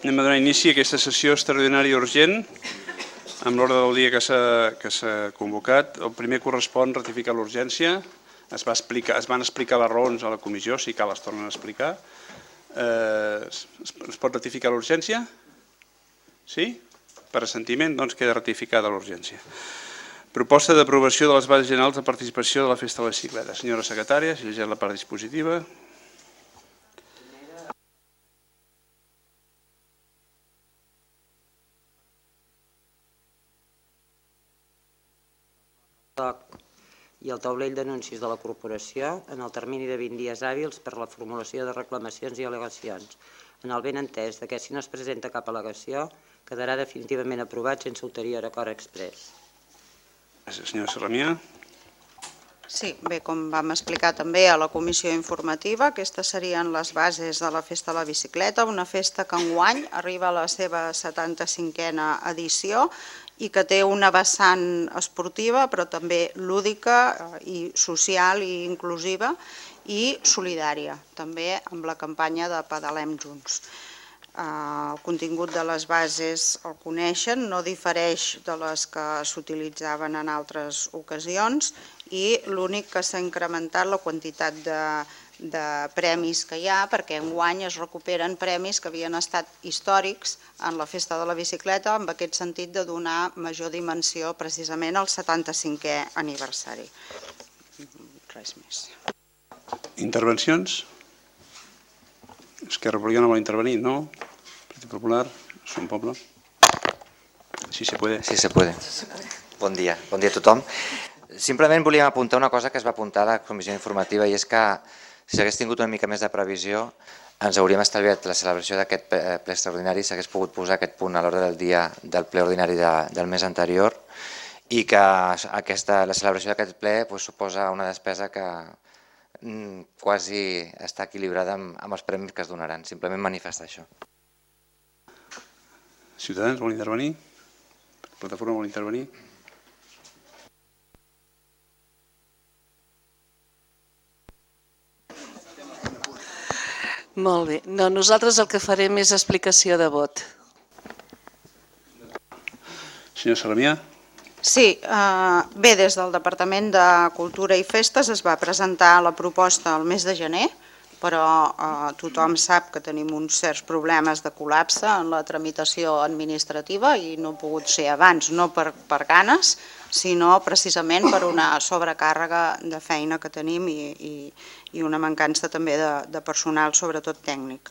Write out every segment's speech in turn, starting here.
Anem a donar inici a aquesta sessió extraordinària urgent amb l'ordre del dia que s'ha convocat. El primer correspon ratificar l'urgència. Es van explicar les raons a la comissió, si cal les tornen a explicar. Es pot ratificar l'urgència? Sí? Per assentiment, doncs queda ratificada l'urgència. Proposta d'aprovació de les bases generals de participació de la Festa de la Bicicleta. Senyora secretària, si llegeix la part dispositiva. I el taulell d'anuncis de la corporació en el termini de 20 dies hàbils per la formulació de reclamacions i al·legacions. En el benentès que si no es presenta cap al·legació quedarà definitivament aprovat sense ulterior acord exprés. Gràcies, senyora Sarramià. Sí, bé, com vam explicar també a la comissió informativa, aquestes serien les bases de la Festa de la Bicicleta, una festa que enguany arriba a la seva 75a edició i que té una vessant esportiva, però també lúdica i social i inclusiva i solidària, també amb la campanya de Pedalem Junts. El contingut de les bases el coneixen, no difereix de les que s'utilitzaven en altres ocasions i l'únic que s'ha incrementat la quantitat de premis que hi ha, perquè enguany es recuperen premis que havien estat històrics en la Festa de la Bicicleta, amb aquest sentit de donar major dimensió precisament al 75è aniversari. Res més. Intervencions? Esquerra Republicana vol intervenir, no? Partit Popular, Som Poble. Sí se puede. Sí se puede. Bon dia a tothom. Simplement volíem apuntar una cosa que es va apuntar a la comissió informativa i és que si s'hagués tingut una mica més de previsió ens hauríem estalviat la celebració d'aquest ple extraordinari, s'hagués pogut posar aquest punt a l'ordre del dia del ple ordinari del mes anterior i que la celebració d'aquest ple suposa una despesa que quasi està equilibrada amb els premis que es donaran. Simplement manifestar això. Ciutadans vol intervenir? Plataforma vol intervenir? Molt bé. No, nosaltres el que farem és explicació de vot. Senyor Sarramià? Sí, bé, des del Departament de Cultura i Festes es va presentar la proposta el mes de gener, però tothom sap que tenim uns certs problemes de col·lapse en la tramitació administrativa i no ha pogut ser abans, no per ganes, sinó precisament per una sobrecàrrega de feina que tenim i una mancança també de personal, sobretot tècnic.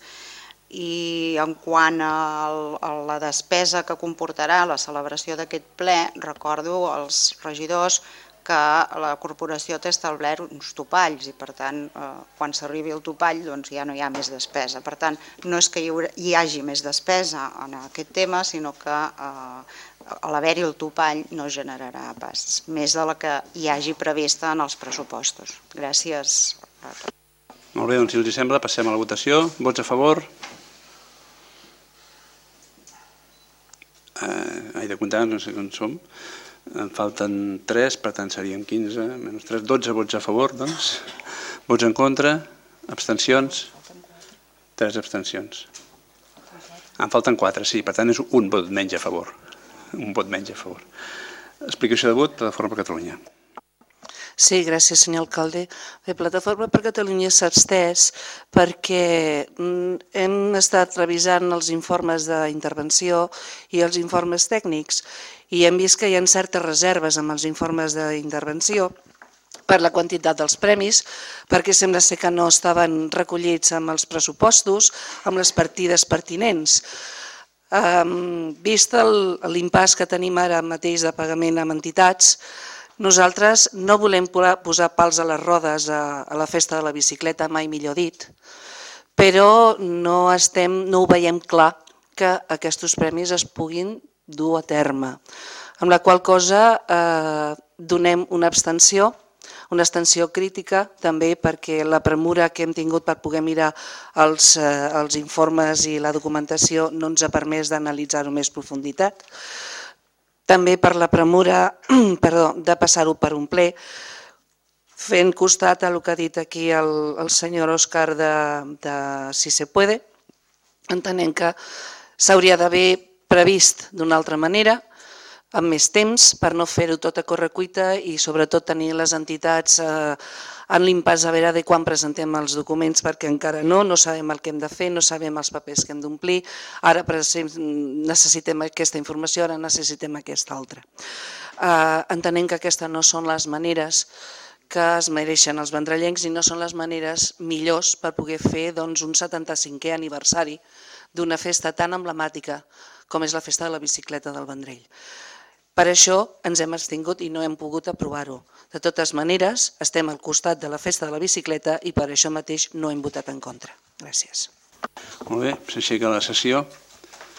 I en quant a la despesa que comportarà la celebració d'aquest ple, recordo als regidors que la corporació té establert uns topalls i per tant quan s'arribi el topall ja no hi ha més despesa. Per tant, no és que hi hagi més despesa en aquest tema, sinó que a l'haver-hi el topall no generarà pas més de la que hi hagi prevista en els pressupostos. Gràcies a tots. Molt bé, doncs si els sembla passem a la votació. Vots a favor? He de comptar, no sé on som. En falten 3, per tant serien 15, menys 3, 12 vots a favor, doncs. Vots en contra? Abstencions? 3 abstencions. En falten 4, sí, per tant és un vot menys a favor. Un vot menys a favor. Explicació de vot, Plataforma per Catalunya. Sí, gràcies, senyor alcalde. Bé, Plataforma per Catalunya s'ha abstès perquè hem estat revisant els informes d'intervenció i els informes tècnics i hem vist que hi ha certes reserves amb els informes d'intervenció per la quantitat dels premis, perquè sembla ser que no estaven recollits amb els pressupostos, amb les partides pertinents. Vist l'impàs que tenim ara mateix de pagament amb entitats, nosaltres no volem posar pals a les rodes a la Festa de la Bicicleta, mai millor dit, però no ho veiem clar que aquests premis es puguin dur a terme, amb la qual cosa donem una abstenció crítica també perquè la premura que hem tingut per poder mirar els informes i la documentació no ens ha permès d'analitzar-ho més profunditat. També per la premura de passar-ho per un ple, fent costat al que ha dit aquí el senyor Òscar de Si se puede, entenent que s'hauria d'haver previst d'una altra manera, amb més temps, per no fer-ho tot a correcuita i sobretot tenir les entitats en l'impàs a veure de quan presentem els documents, perquè encara no sabem el que hem de fer, no sabem els papers que hem d'omplir, ara necessitem aquesta informació, ara necessitem aquesta altra. Entenem que aquestes no són les maneres que es mereixen els vendrellencs i no són les maneres millors per poder fer un 75è aniversari d'una festa tan emblemàtica com és la festa de la bicicleta del Vendrell. Per això ens hem abstingut i no hem pogut aprovar-ho. De totes maneres, estem al costat de la festa de la bicicleta i per això mateix no hem votat en contra. Gràcies. Molt bé, s'aixeca la sessió.